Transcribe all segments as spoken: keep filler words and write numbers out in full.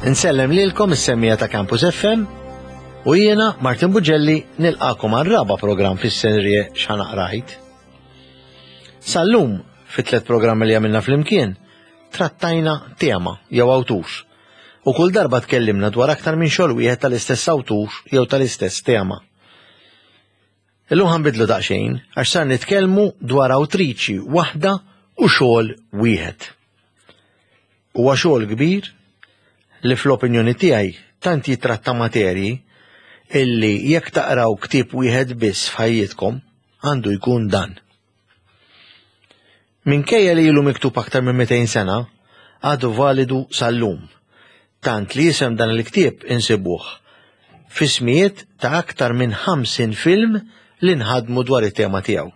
Insellem lilkom is-semmiegħa ta' Campus F M u jiena Martin Bugelli nilqagħkom għar-raba' programm fis-serje X'Ħa Naqra Għid. Sal-lum, fit-tlet programmi li għamilna flimkien, trattajna tema jew awtur. U kull darba tkellimna dwar aktar minn xogħol wieħed tal-istess awtur jew tal-istess tema. Illum ħa nbiddlu daqsxejn għax sar nitkellmu dwar awtriċi waħda u xogħol wieħed. Huwa xogħol kbir li fl-opinjoni tiegħi tant jitratta materji illi jekk taqraw ktieb wieħed biss f'ħajjitkom għandu jkun dan. Minkejja li ilu miktub aktar minn mitejn sena, għadu validu sal-lum. Tant li isem dan il-ktieb insibuh f'ismijiet ta' aktar minn ħamsin film li nħadmu dwar it-tema tiegħu.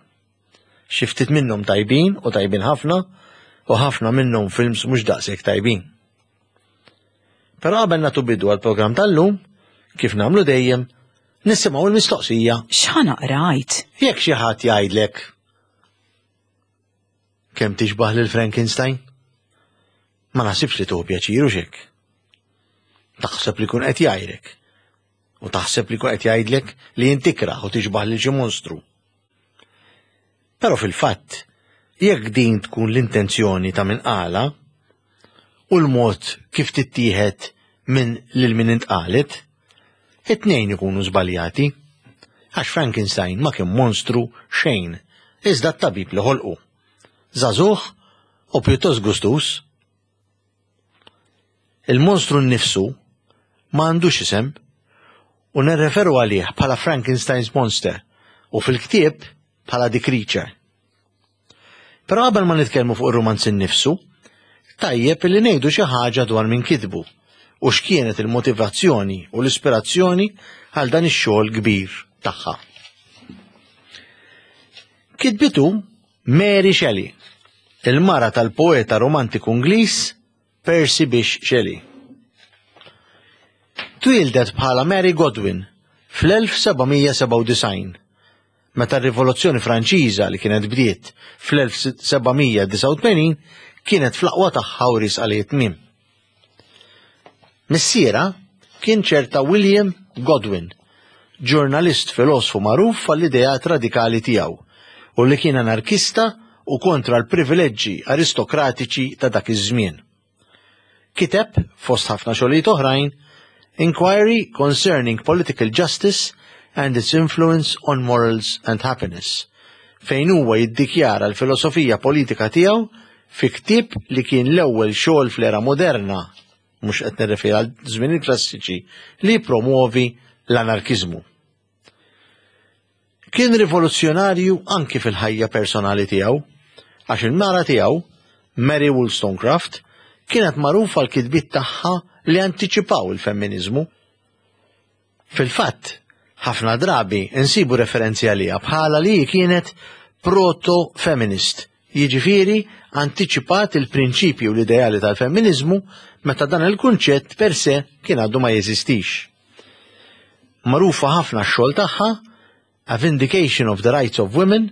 Xi ftit minnhom tajbin u tajbin ħafna u ħafna minnhom films mhux daqshekk tajbin. Però qabel nagħtu bidu għall-programm tal-lum, kif nagħmlu dejjem, nisimgħu l-mistoqsija. X'ħa naqra Għid? Jekk xi ħadd jgħidlek kemm tixbaħ lil Frankenstein, ma naħsibx li tieħu pjaċir u xek. Taħseb li kun qed jgħajrek. U taħseb li kun qed jgħidlek li int ikrah u tixbaħ lil xi monstru. Però fil-fatt, jekk din tkun l-intenzjoni ta' min qala u l-mod kif tittieħed minn lil min intqalet, it-tnejn ikunu żbaljati. Għax Frankenstein ma kien monstru xejn, iżda t-tabib li ħolqu. Żagħżugħ u pjuttost gustus. Il-monstru nnifsu ma għandux isem u nirreferu għalih bħala Frankenstein's Monster u fil-ktieb bħala The Creature. Però qabel ma nitkellmu fuq ir-romanz innifsu, tajjeb li ngħidu xi ħaġa dwar min kitbu u x'kienet il-motivazzjoni u l-ispirazzjoni għal dan ix-xogħol kbir tagħha. Kitbitu Mary Shelley, il-mara tal-poeta romantiku Ingliż Percy Bysshe Shelley. Twieldet bħala Mary Godwin fl-elf seba' mija sebgħa u disgħin, meta r-Rivoluzzjoni Franċiża li kienet bdiet fl-elf seba' mija disgħa u tmenin kienet fl-aqwa tagħha u riesqa lejn tmiem. Missierha kien ċerta William Godwin, ġurnalist filosfu magħruf għall-ideat radikali tiegħu u li kien anarkista u kontra l-privileġġi aristokratiċi ta' dak iż-żmien. Kiteb, fost ħafna xogħlijiet oħrajn, Inquiry Concerning Political Justice and Its Influence on Morals and Happiness, fejn huwa jiddikjara l-filosofija politika tiegħu fi ktieb li kien l-ewwel xogħol fl-era moderna, mhux qed nirreferi għal żmien il-klassiċi, li promuovi l-anarkiżmu. Kien rivoluzzjonarju anki fil-ħajja personali tiegħu, għax il-mara tiegħu, Mary Wollstonecraft, kienet magħrufa l-kitbiet tagħha li antiċipaw il-femminizmu. Fil-fatt, ħafna drabi insibu referenzi għaliha bħala li kienet proto-feminist, jiġifieri antiċipat il-prinċipji u l-ideali tal-femminizmu meta dan il-kunċett per se kien għadu ma jeżistix. Magħrufa ħafna x-xogħol tagħha A Vindication of the Rights of Women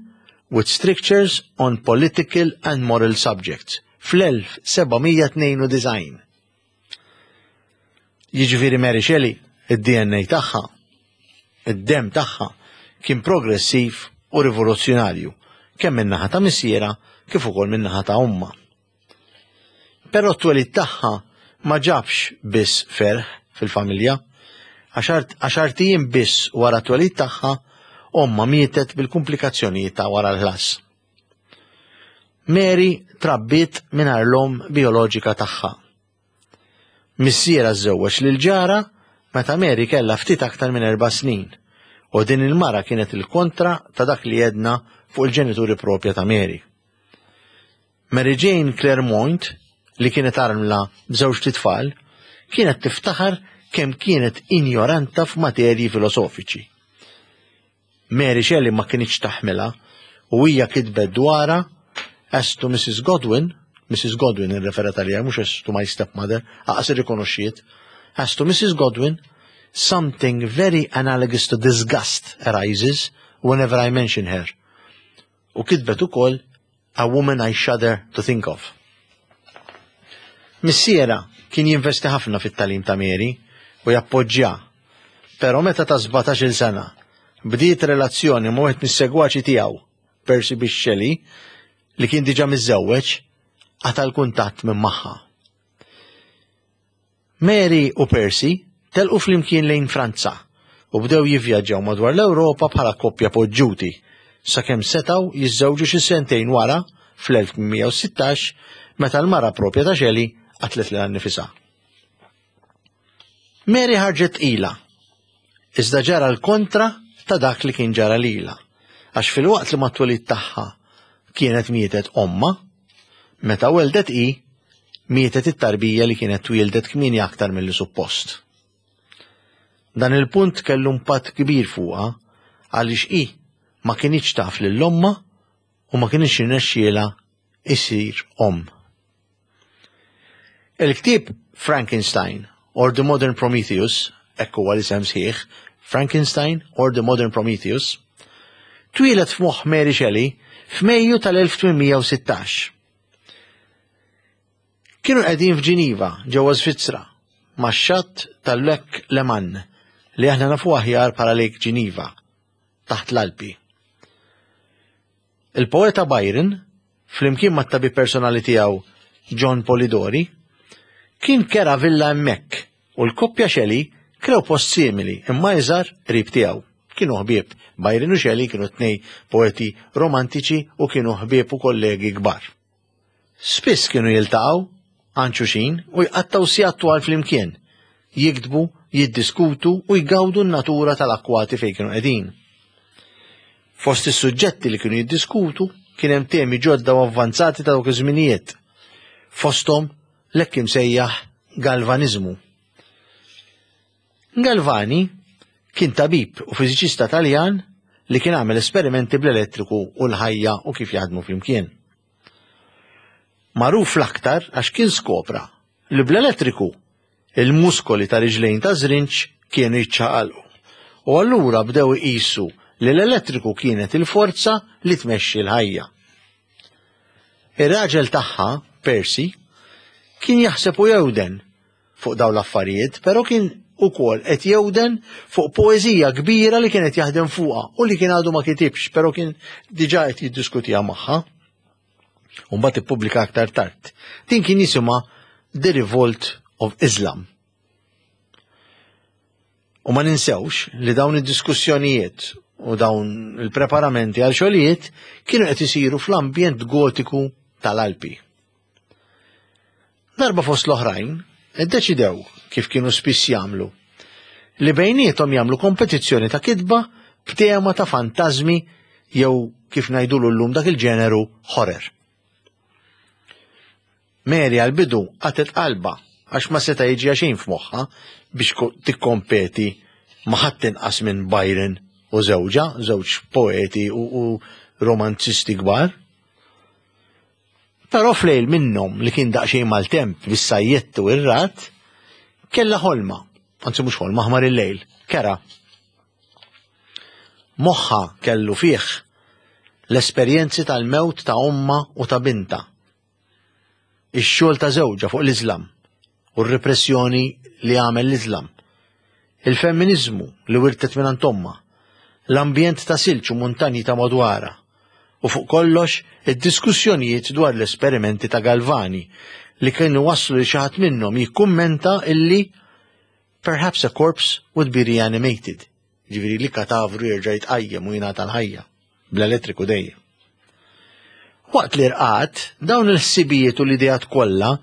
with Strictures on Political and Moral Subjects fl-elf seba' mija tnejn u disgħin. Jiġifieri Mary Shelley, id-D N A tagħha, id-dem tagħha kien progressiv u rivoluzzjonarju, kemm min-naħa ta' missierha kif ukoll min-naħa ta' ommha. Però t-twelid tagħha ma ġabx biss ferħ fil-familja, għaxart ijiem biss wara t-twelid tagħha ommha mietet bil-komplikazzjonijiet ta' wara l-ħlas. Mary trabbiet mingħajr l-omm bioloġika tagħha. Missierha żżewweġ lil ġara meta Mary kellha ftit aktar minn erba' snin u din il-mara kienet il-kontra ta' dak li jedna fuq il-ġenituri propja ta' Mary. Mary Jane Clairmont, li kienet armla b'żewġ tfal, kienet tiftaħar kemm kienet ignoranta f'materji filosofiċi. Mary Shelley ma kinitx taħmilha u hija kitbet dwarha: "As to Missus Godwin", Missus Godwin irreferat għaliha, mhux "as to my stepmother", lanqas irrikonoxxiet, "as to Missus Godwin, something very analogous to disgust arises whenever I mention her." U kitbet ukoll "a woman I shudder to think of". Missierha kien jinvesti ħafna fit-tagħlim ta' Mary u jappoġġja. Però meta ta' sbatax-il sena bdiet relazzjoni ma' wieħed mis-segwaċi tiegħu, Percy Bysshe Shelley, li kien diġà miżżewweġ, qata' l-kuntatt minn magħha. Mary u Percy telqu flimkien lejn Franza u bdew jivvjaġġaw madwar l-Ewropa bħala koppja poġġuti sakemm setgħu jiżżewġu xi sentejn wara fl-elf tmien mija u sittax meta l-mara propja ta' Shelley qatlet lilha nnifisha. Mary ħarġet tqila, iżda ġara l-kontra ta' dak li kien ġara lilha, għax fil-waqt li mat-twelid tagħha kienet mietet omma, meta weldet hi, mietet it-tarbija li kienet twieldet kmieni aktar milli suppost. Dan il-punt kellu impatt kbir fuqha għaliex hi ma kinitx taf lil omma u ma kinitx irnexxielha isir omm. Il-ktieb Frankenstein or the Modern Prometheus, hekk huwa l-isem sħiħ, Frankenstein or the Modern Prometheus, twieled f'moħħ Mary Shelley f'Mejju tal-elf tmien mija u sittax. Kienu qegħdin f'Ġiniva, ġewwa Svizzera, max-xatt tal-Lake Leman, li aħna nafu aħjar bħala Lake Geneva, taħt l-Alpi. Il-poeta Byron, flimkien mat-tabib personali tiegħu John Polidori, kien kera villa hemmhekk u l-koppja Shelley krew post simili imma iżgħar qrib tiegħu. Kienu ħbieb, Byron u Shelley kienu tnej poeti romantiċi u kienu ħbieb u kollegi kbar. Spiss kienu jiltaqgħu għand xulxin u jqattgħu sigħat twal flimkien, jiktbu, jiddiskutu u jgawdu n-natura tal-akkwati fejn kienu qegħdin. Fost is-suġġetti li kienu jiddiskutu kien hemm temi ġodda u avvanzati ta' dawk iż-żminijiet. Fosthom l-hekk imsejjaħ galvanizmu. Galvani kien tabib u fiżiċista Taljan li kien għamel esperimenti bl-elettriku u l-ħajja u kif jaħdmu flimkien. Magħruf l-aktar għax kien skopra li bl-elettriku il-muskoli ta' riġlejn ta' żrinġ kienu jiċċaqalqu. U allura bdew iqisu li l-elettriku kienet il-forza li tmexxi l-ħajja. Ir-raġel tagħha, Percy, kien jaħseb u jewden fuq dawn l-affarijiet, però kien ukoll qed jewden fuq poeżija kbira li kienet jaħdem fuqha u li kien għadu ma kitibx, però kien diġà qed jiddiskutiha magħha. U mbagħad ippubblika aktar tard. Din kien jisimha The Revolt of Islam. U ma ninsewx li dawn id-diskussjonijiet u dawn il-preparamenti għal xogħlijiet kienu qed isiru fl-ambjent gotiku tal-Alpi. Darba fost l-oħrajn, iddeċidew kif kienu spiss jagħmlu li bejniethom jagħmlu kompetizzjoni ta' kitba b'tema ta' fantażmi jew kif ngħidulu llum dak il-ġeneru horror. Mary għal-bidu qatgħet qalbha għax ma seta' jiġi xejn f'moħħha biex ko-, tikkompeti ma' ħadd inqas minn Byron u żewġha, żewġ poeti u, u romanzisti kbar. Però flejl minnhom li kien daqsxejn maltemp bis-sajjettu ir-rat, kellha ħolma, anzi mhux ħolma, ħmar il-lejl, kera. Moħħa kellu fih l-esperjenzi tal-mewt ta' omma u ta' binta, ix-xogħol ta' żewġha fuq l-Iżlam u r-repressjoni li għamel l-Iżlam, il-femminizmu li wirtet minn omma, l-ambjent ta' silġ u muntanji ta' madwara, u fuq kollox id-diskussjonijiet dwar l-esperimenti ta' Galvani li kienu waslu li xi ħadd minnhom jikkummenta illi perhaps a corpse would be reanimated, ġifieri li katavru jerġa' jitqajjem u jingħata l-ħajja bl-elettriku dejjem. Waqt li rqat, dawn il-ħsibijiet u l-ideat kollha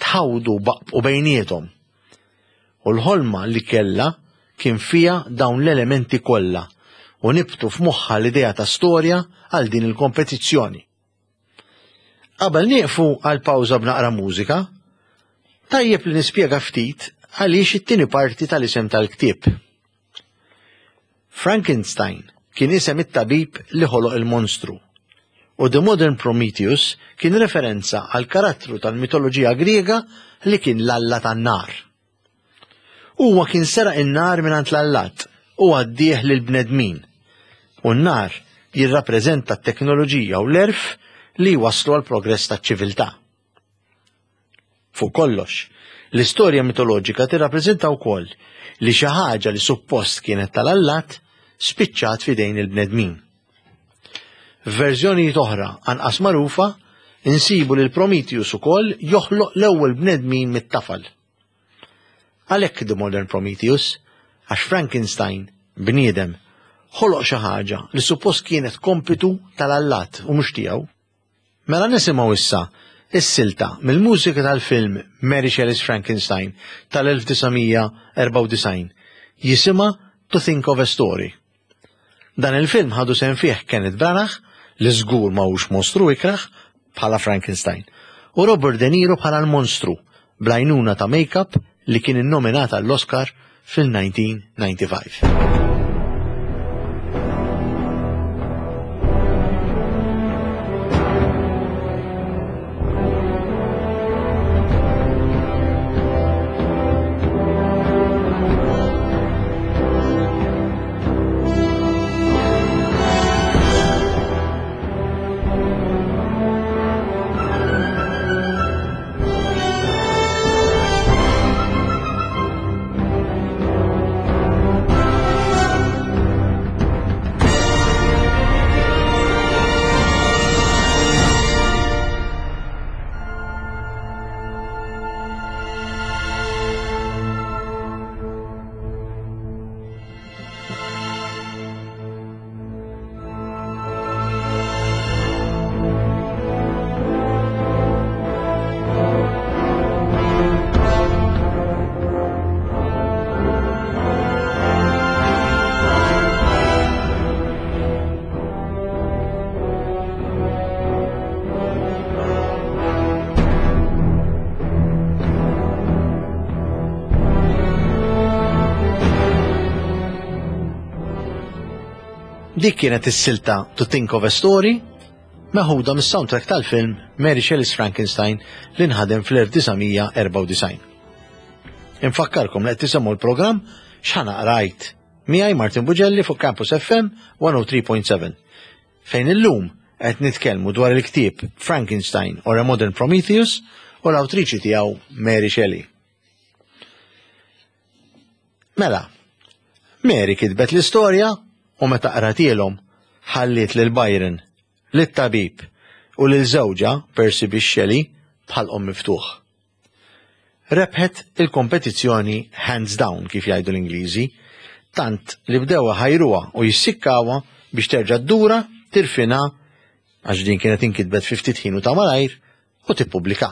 tħawdu baqbqu bejniethom. U l-ħolma li kellha kien fija dawn l-elementi kollha u nibtu f'moħħha l-idea ta' storja għal din il-kompetizzjoni. Qabel nieqfu għal pawża b'naqra mużika, tajjeb li nispjega ftit għaliex it-tieni parti tal-isem tal-ktieb. Frankenstein kien isem it-tabib li ħoloq il-monstru, u The Modern Prometheus kien referenza għal karattru tal-mitoloġija Griega li kien l-alla tan-nar. Huwa kien seraq in-nar mingħand l-allat u għaddih lill-bnedmin, u n-nar jirrappreżenta t-teknoloġija u l-erf li waslu għal progress taċ-ċiviltà. Fuq kollox, l-istorja mitoloġika tirrappreżenta wkoll li xi ħaġa li suppost kienet tal-allat spiċċat f'idejn il-bnedmin. F'verżjonijiet oħra anqas magħrufa insibu lil Prometheus ukoll joħloq l-ewwel bnedmin mit-tafal. Għalhekk The Modern Prometheus, għax Frankenstein, bniedem, ħoloq xi ħaġa li suppost kienet kompitu tal-allat u mhux tiegħu. Mela nisimgħu issa is-silta mill-mużika tal-film Mary Shelley's Frankenstein tal-elf disa' mija erbgħa u disgħin jisimha To Think of a Story. Dan il-film ħadu sehem fih Kenneth Branagh, li żgur ma hux mostru ikrah, bħala Frankenstein, u Robert De Niro bħala l-monstru, bl-għajnuna ta' make-up li kien innominat għall-Oscar fil-nineteen ninety-five. Dik kienet is-silta To Think of a Story, meħuda mis-soundtrack tal-film Mary Shelley's Frankenstein li nħadem fl-elf disa' mija erbgħa u disgħin. Infakkarkom li qed tisimgħu l-programm X'Ħa Naqra Għid miegħi Martin Bugelli fuq Campus F M one oh three point seven, fejn illum qed nitkellmu dwar il-ktieb Frankenstein or a Modern Prometheus u l-awtriċi tiegħu Mary Shelley. Mela, Mary kitbet l-istorja u meta qratielhom ħalliet lil Byron, lit-tabib u lil żewġha Percy Bysshe Shelley bħalqhom miftuħ. Rebħet il-kompetizzjoni hands down kif jgħidu l-Ingliżi, tant li bdew ħajruha u jissikkawha biex terġa' ddura, tirfina, għax din kienet inkitbet fi ftit ħin u ta' malajr, u tippubblika.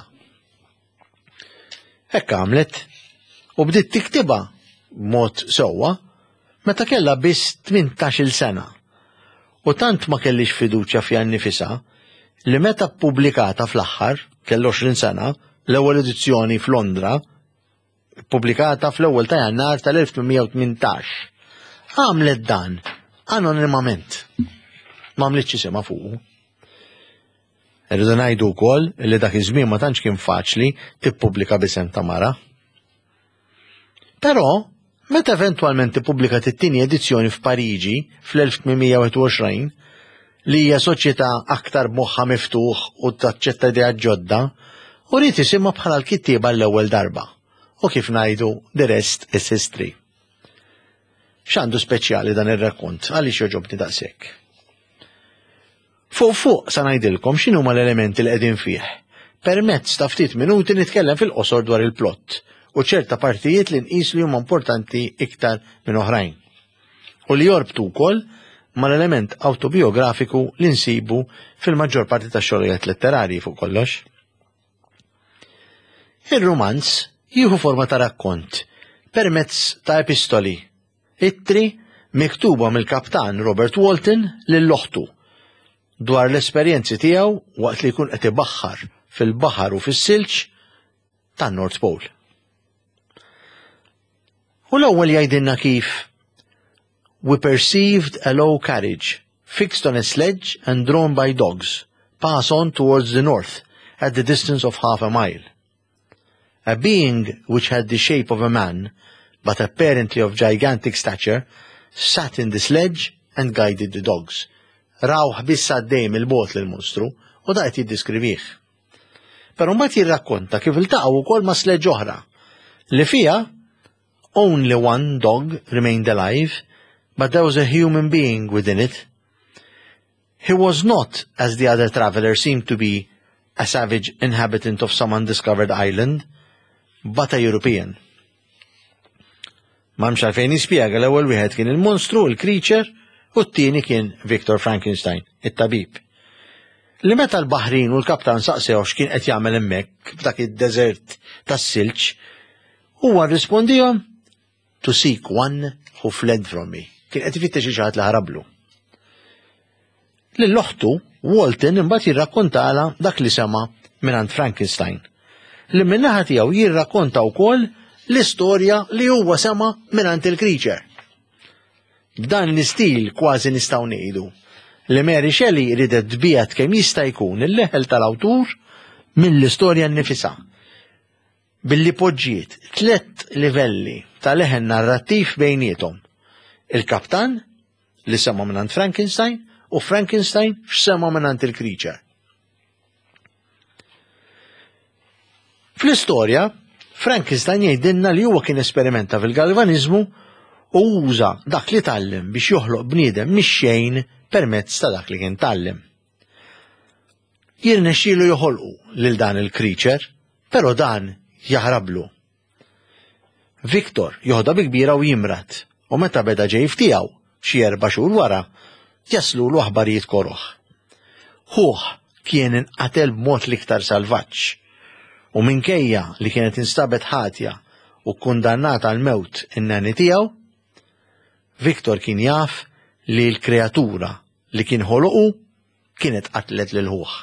Hekk għamlet u bdiet tiktibha b'mod sewwa meta kellha biss tmintax-il sena. U tant ma kellix fiduċja fiha nnifisha li meta ppubblikata fl-aħħar, kellha għoxrin sena, l-ewwel edizzjoni f'Londra, ppubblikata fl-ewwel ta' Jannar tal-elf tmien mija u tmintax. Għamlet dan anonimament. Ma għamlitx isimha fuqu. Irridu ngħidu wkoll li dak iż-żmien ma tantx kien faċli tippubblika b'isem ta' mara. Però meta eventwalment ippubblikat it-tieni edizzjoni f'Pariġi fl-elf tmien mija u wieħed u għoxrin, li hija soċjetà aktar b'moħħha miftuħ u taċċetta ideat ġodda, u rrid isimha bħala l-kittieba l-ewwel darba. U kif ngħidu, the rest is history. X'għandu speċjali dan ir-rakkont, għaliex joġobni daqshekk? Fuq fuq sa ngħidilkom x'inhuma l-elementi li qegħdin fih. Permezz ta' ftit minuti nitkellem fil-qosor dwar il-plott u ċerta partijiet li nqis li huma importanti iktar minn oħrajn. U li jorbtu wkoll mal-element autobiografiku li nsibu fil-maġġor parti tax-xogħlijiet letterarji fuq kollox. Ir-rumanz jieħu forma ta' rakkont permezz ta' epistoli, ittri miktuba mill-kaptan Robert Walton lil oħtu dwar l-esperjenzi tiegħu waqt li jkun qed ibaħħar fil-baħar u fis-silġ tan-North Pole. U l-ewwel jgħidilna kif we perceived a low carriage fixed on a sledge and drawn by dogs pass on towards the north at the distance of half a mile. A being which had the shape of a man, but apparently of gigantic stature, sat in the sledge and guided the dogs. Rawh biss għaddej mill-bogħod lill-monstru u da qed jiddiskrivih. Però mbagħad jirrakkonta kif iltaqgħu wkoll ma' sledge oħra li fiha only one dog remained alive, but there was a human being within it. He was not, as the other traveler seemed to be, a savage inhabitant of some undiscovered island, but a European. M'hemmx għalfejn jispjega l-ewwel wieħed kien il-monstru, il-creature, u t-tieni kien Victor Frankenstein, it-tabib. Li meta l-baħrin u l-kaptan saqsew x'kien qed jagħmel hemmhekk f'dak id-deżert tas-silġ, huwa rrispondihom to seek one who fled from me. Kien qed ifittex xi ħadd li ħarablu. Lil oħtu, Walton imbagħad jirrakkontala dak li sema mingħand Frankenstein. Li min-naħa tiegħu jirrakkonta wkoll l-istorja li huwa sema mingħand il-creature. B'dan l-istil kważi nistgħu ngħidu li Mary Shelley ridet tbiegħed kemm jista' jkun il-leħel tal-awtur mill-istorja nnifisha. Billi poġġiet tliet livelli ta' leħen narrattiv bejniethom. Il-kaptan li sema mingħand Frankenstein u Frankenstein x'sema mingħand il-creature. Fl-istorja, Frankenstein jgħidilna li huwa kien esperimenta fil-galvaniżmu u uża dak li tgħallem biex joħloq bniedem mix-xejn permezz ta' dak li kien tgħallem. Jirnexxielu joħolqu lil dan il-creature, però dan jaħrablu. Victor joħda bi kbira u jimrad, u meta beda ġej f'tiegħu xi erba' xhur wara, jaslulu aħbarijiet koroh. Ħuh kien inqatel b'mod l-iktar salvaġġ, u minkejja li kienet instabet ħatja u kkundannata għall-mewt in-nanny tiegħu, Victor kien jaf li l-kreatura li kien ħoloqu kienet qatlet lil ħuh.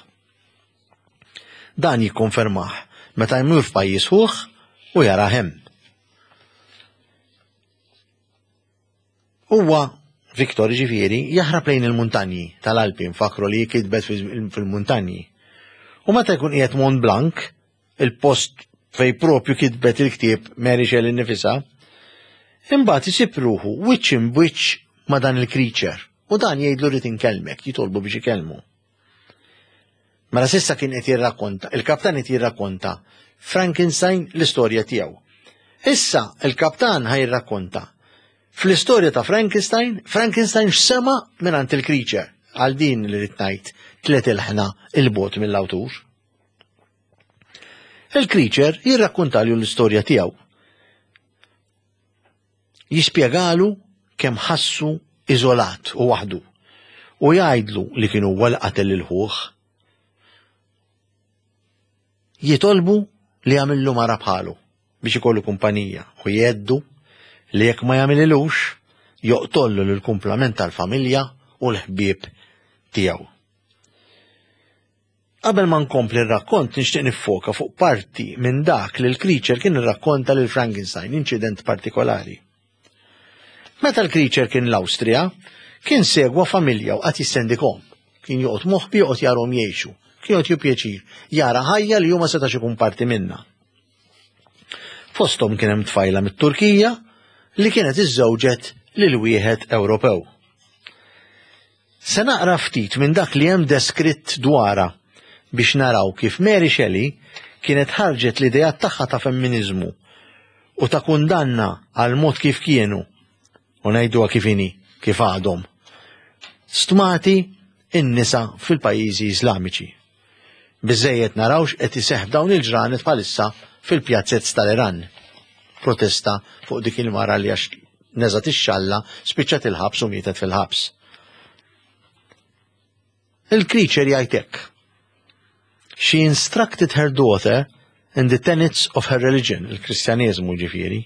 Dan jikkonfermah meta jmur f'pajjiż ħuh u jarah hemm. Huwa Victor ġifieri jaħrab lejn il-muntanji tal-Alpi, nfakru li kitbet fil-muntanji. U meta jkun qiegħed Mont Blanc, il-post fej propju kitbet il-ktieb Mary Shelley nnifisha, imbagħad isib ruħu wiċċ imbwiċċ ma' dan il-creature u dan jgħidlu rrid inkellmek, jitolbu biex ikellmu. Mela s'issa kien qed jirrakkonta, il-kaptan qed jirrakkonta Frankenstein l-istorja tiegħu. Issa il-kaptan ħa jirrakkonta fl-istorja ta' Frankenstein, Frankenstein x'sema' mingħand il-creature għal din li rrid ngħid tliet ilħna il-bogħod mill-awtur. Il-creature jirrakkontalju l-istorja tiegħu. Jispjegalu kemm ħassu iżolat u waħdu u jgħidlu li kien huwa li qatel lil ħuh. Jitolbu li jagħmillu mara bħalu biex ikollu kumpanija u jgħeddu li jekk ma jagħmililux joqtollu lill-kumplament tal-familja u l-ħbieb tiegħu. Qabel ma nkompli r-rakkont nixtieq niffoka fuq parti minn dak li l-creature kien irrakkonta lil Frankenstein, inċident partikolari. Meta l-creature kien l-Awstrija, kien segwa familja u qagħad jistendikhom. Kien joqgħod moħbi joqgħod jarhom jgħixu. Kien joqgħod jieħu pjaċir jara ħajja li hu ma setax ikun parti minnha. Fosthom kien hemm tfajla mit-Turkija li kienet iżżewġet lil wieħed Ewropew. Se naqra ftit minn dak li hemm deskritt dwarha biex naraw kif Mary Shelley kienet ħarġet l-ideat tagħha ta' femminiżmu u ta' kundanna għal mod kif kienu, u ngħiduha kif inhi, kif għadhom, stmati n-nisa fil-pajjiżi Iżlamiċi. Biżżejjed naraw x'qed iseħħ f'dawn il-ġranet bħalissa fil-pjazzez tal-Iran. Protesta fuq dik il-mara li għax neżgħet ix-xalla spiċċat il-ħabs u mietet fil-ħabs. Il-creature jgħid hekk. She instructed her daughter in the tenets of her religion, il-Kristjaneżmu ġifieri,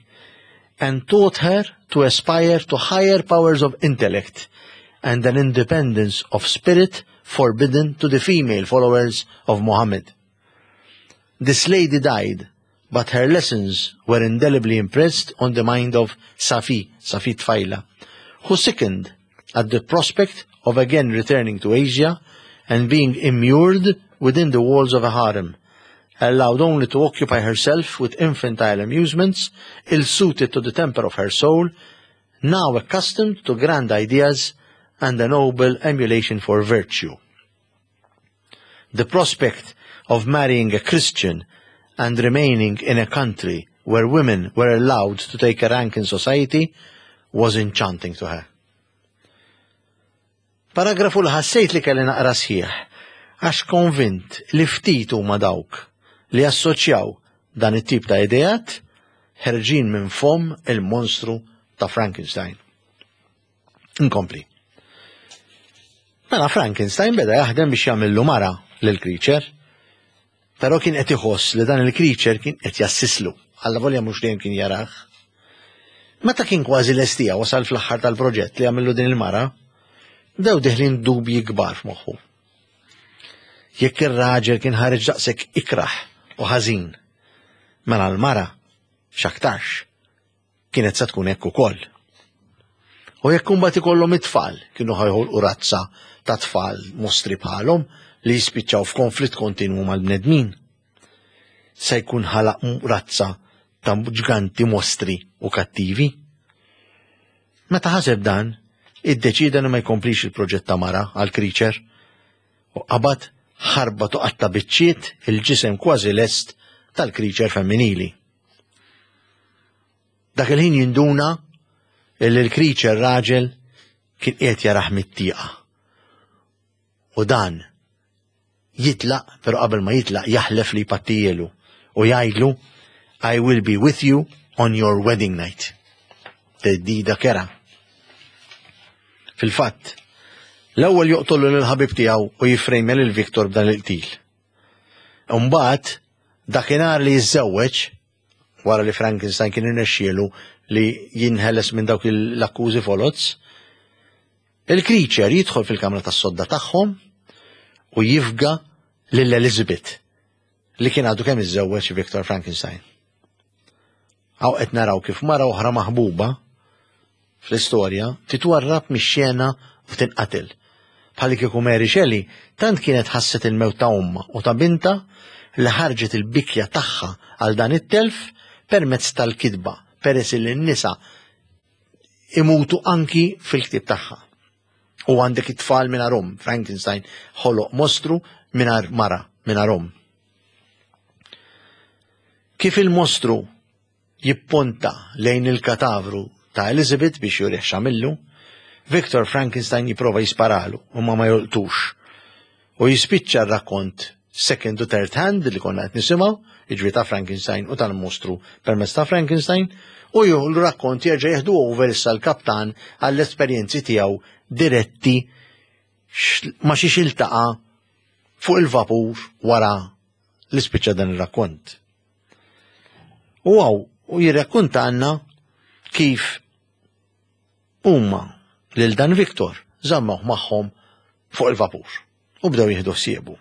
and taught her to aspire to higher powers of intellect and an independence of spirit forbidden to the female followers of Muhammad. This lady died, but her lessons were indelibly impressed on the mind of Safi, Safi tfajla, who sickened at the prospect of again returning to Asia and being immured within the walls of a harem, allowed only to occupy herself with infantile amusements ill-suited to the temper of her soul, now accustomed to grand ideas and a noble emulation for virtue. The prospect of marrying a Christian and remaining in a country where women were allowed to take a rank in society was enchanting to her. Paragrafu li ħassejt li kelli naqra sħiħ, għax konvint li ftit huma dawk li assoċjaw dan it-tip ta' ideat ħerġin minn fomm il-monstru ta' Frankenstein. Inkompli. Mela Frankenstein beda jaħdem biex jagħmillu mara lil creature, però kien qed iħoss li dan il-creature kien qed jassislu, allavolja mhux dejjem kien jarah. Meta kien kważi lestija wasal fl-aħħar tal-proġett li jagħmillu din il-mara, bdew deħlin dubji kbar f'moħħu. Jekk ir-raġel kien ħareġ daqshekk ikrah u ħażin, mela l-mara x'aktarx kienet se tkun hekk ukoll. U jekk imbagħad ikollhom it-tfal kienu ħa joħolqu razza ta' tfal mostri bħalhom li jispiċċaw f'konflitt kontinwu mal-bnedmin. Se jkun ħalaq razza ta' ġganti mostri u kattivi. Meta ħaseb dan, iddeċida li ma jkomplix il-proġett ta' mara għal creature u qabad ħarbat u qatta' biċċiet il-ġisem kważi lest tal-creature femminili. Dak il-ħin jinduna illi l-creature raġel kien qiegħed jarah mit-tieqa. U dan jitlaq, pero qabel ma jitlaq jaħlef li jpattijielu u jgħidlu I will be with you on your wedding night. Theddida kerha. Fil-fatt, l-ewwel joqtollu lill-ħabib tiegħu u jiffrejmja lil Victor b'dan il-qtil. Imbagħad dakinhar li jiżżewweġ wara li Frankenstein kien irnexxielu li jinħeles minn dawk l-akkużi foloz, il-creature jidħol fil-kamra tas-sodda tagħhom u jifga lil Elizabeth li kien għadu kemm iżżewweġ Victor Frankenstein. Hawn qed naraw kif mara oħra maħbuba fl-istorja titwarrab mix-xena u tinqatel. Bħalli kieku Mary Shelley tant kienet ħasset il-mewt ta' ommha u ta' binta li ħarġet il-bikja tagħha għal dan it-telf permezz tal-kitba, peress li n-nisa imutu anki fil-ktib tagħha. U għandek it-tfal mingħajr omm, Frankenstein ħoloq mostru mingħajr mara, mingħajr omm. Kif il-mostru jipponta lejn il-katavru ta' Elizabeth biex jurih x'għamillu, Victor Frankenstein jiprova jisparalu u ma ma jolqtux. U jispiċċa r-rakkont second u third hand li konna qed nisimgħu, jiġri ta' Frankenstein u tal-mostru permezz ta' Frankenstein, u juhu l-rakkont jerġa' jieħdu over issa l-kaptan għall-esperjenzi tiegħu diretti ma' xiex iltaqa' fuq il-vapur wara li spiċċa dan ir-rakkont. U hawn, u jirrakkonta għandna kif huma lil dan Victor żammuh magħhom fuq il-vapur u bdew jieħdu ħsiebu.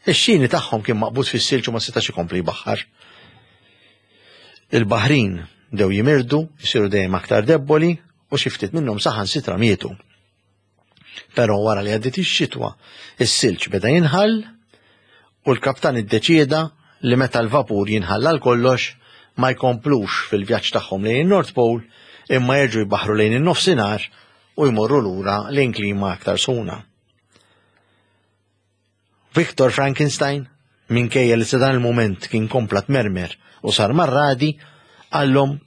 Ix-xini tagħhom kien maqbud fis-silġ u ma setax ikompli jbaħħar. Il-baħrin bdew jimirdu, jisiru dejjem aktar debboli u xi ftit minnhom saħansitra mietu. Però wara li għaddiet ix-xitwa, is-silġ beda jinħall u l-kaptan iddeċieda li meta l-vapur jinħall għal kollox ma jkomplux fil-vjaġġ tagħhom lejn il-North Pole imma jerġgħu jbaħru lejn in-nofsinhar u jmorru lura lejn klima aktar sħuna. Victor Frankenstein, minkejja li sa dan il-moment kien kompla tmermer u sar marradi, qallhom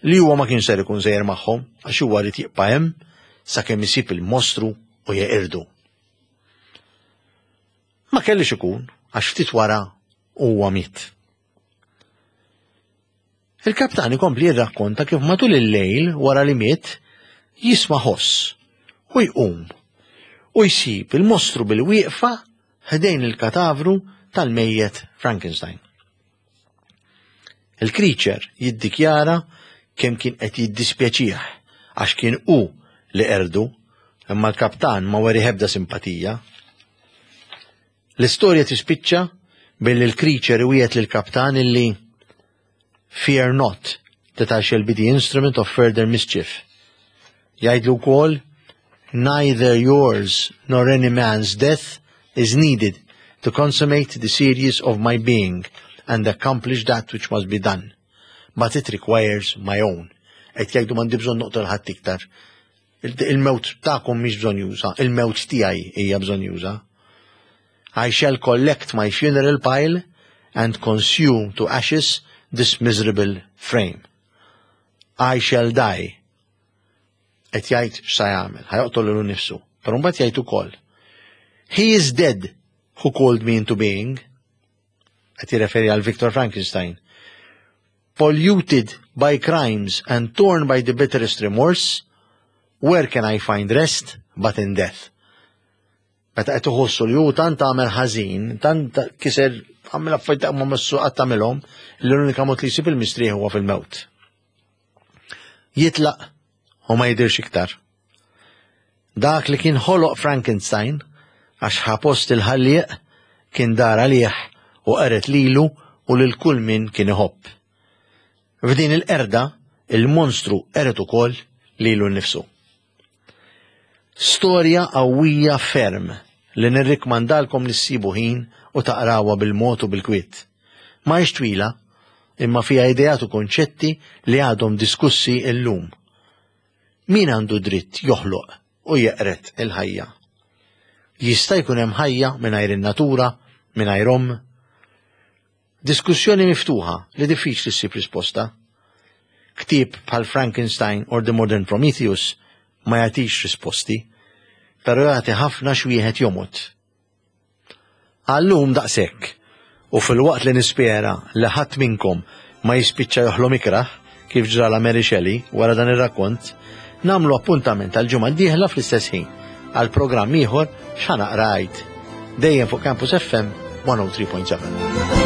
li huwa ma kien ser ikun sejjer magħhom għax huwa rid jibqa' hemm sakemm isib il-mostru u jeqirdu. Ma kellix ikun għax ftit wara huwa miet. Il-kaptan ikompli jirrakkonta kif matul il-lejl wara li miet jisma' ħoss u jqum u jsib il-mostru bil-wieqfa ħdejn il-katavru tal-mejjet Frankenstein. Il-creature jiddikjara kemm kien qed jiddispjaċih għax kien hu li qerdu, imma l-kaptan ma wera ebda simpatija. L-istorja tispiċċa billi l-creature iwiegħed lill-kaptan illi fear not that I shall be the instrument of further mischief. Jgħidlu wkoll neither yours nor any man's death is needed to consummate the series of my being and accomplish that which must be done. But it requires my own. Qed jgħidu m'għandi bżonn noqtol ħadd iktar. Il-mewt tagħkom mhix bżonnjuża, il-mewt tiegħi hija bżonnjuża. I shall collect my funeral pile and consume to ashes this miserable frame. I shall die. Qed jgħid x'sa jagħmel, ħa joqtol lilu nnifsu. Però mbagħad jgħid ukoll. He is dead who called me into being. Qed jirreferi għal Victor Frankenstein. Polluted by crimes and torn by the bitterest remorse, where can I find rest but in death? Meta qed iħossu li hu tant għamel ħażin, tant kiser għamel affarijiet ma messu qatt tagħmilhom, li l-unika mod li jsib il-mistrieħ huwa fil-mewt. Jitlaq u ma jidirx iktar. Dak li kien ħoloq Frankenstein, għax ħa post il-ħallieq, kien dar għalih u qered lilu u lil kull min kien iħobb. F'din il-qerda, il-monstru qered ukoll lilu nnifsu. Storja qawwija ferm li nirrikmandalkom li ssibu ħin u taqrawha bil-mod u bil-kwiet. Ma hix twila, imma fiha ideat u konċetti li għadhom diskussi illum. Min għandu dritt joħloq u jeqred il-ħajja? Jista' jkun hemm ħajja mingħajr in-natura, mingħajr omm? Diskussjoni miftuħa li diffiċli ssib risposta. Ktieb bħal Frankenstein or The Modern Prometheus ma jagħtix risposti, però jagħti ħafna x'wieħed jomgħod. Għal-lum daqshekk, u filwaqt li nispera li ħadd minnkom ma jispiċċa joħlom ikrah kif ġrala Mary Shelley wara dan ir-rakkont, nagħmlu appuntament għal ġimgħa d-dieħla fl-istess ħin għal programm ieħor X'Ħa Naqra Għid. Dejjem fuq Campus F M one oh three point seven.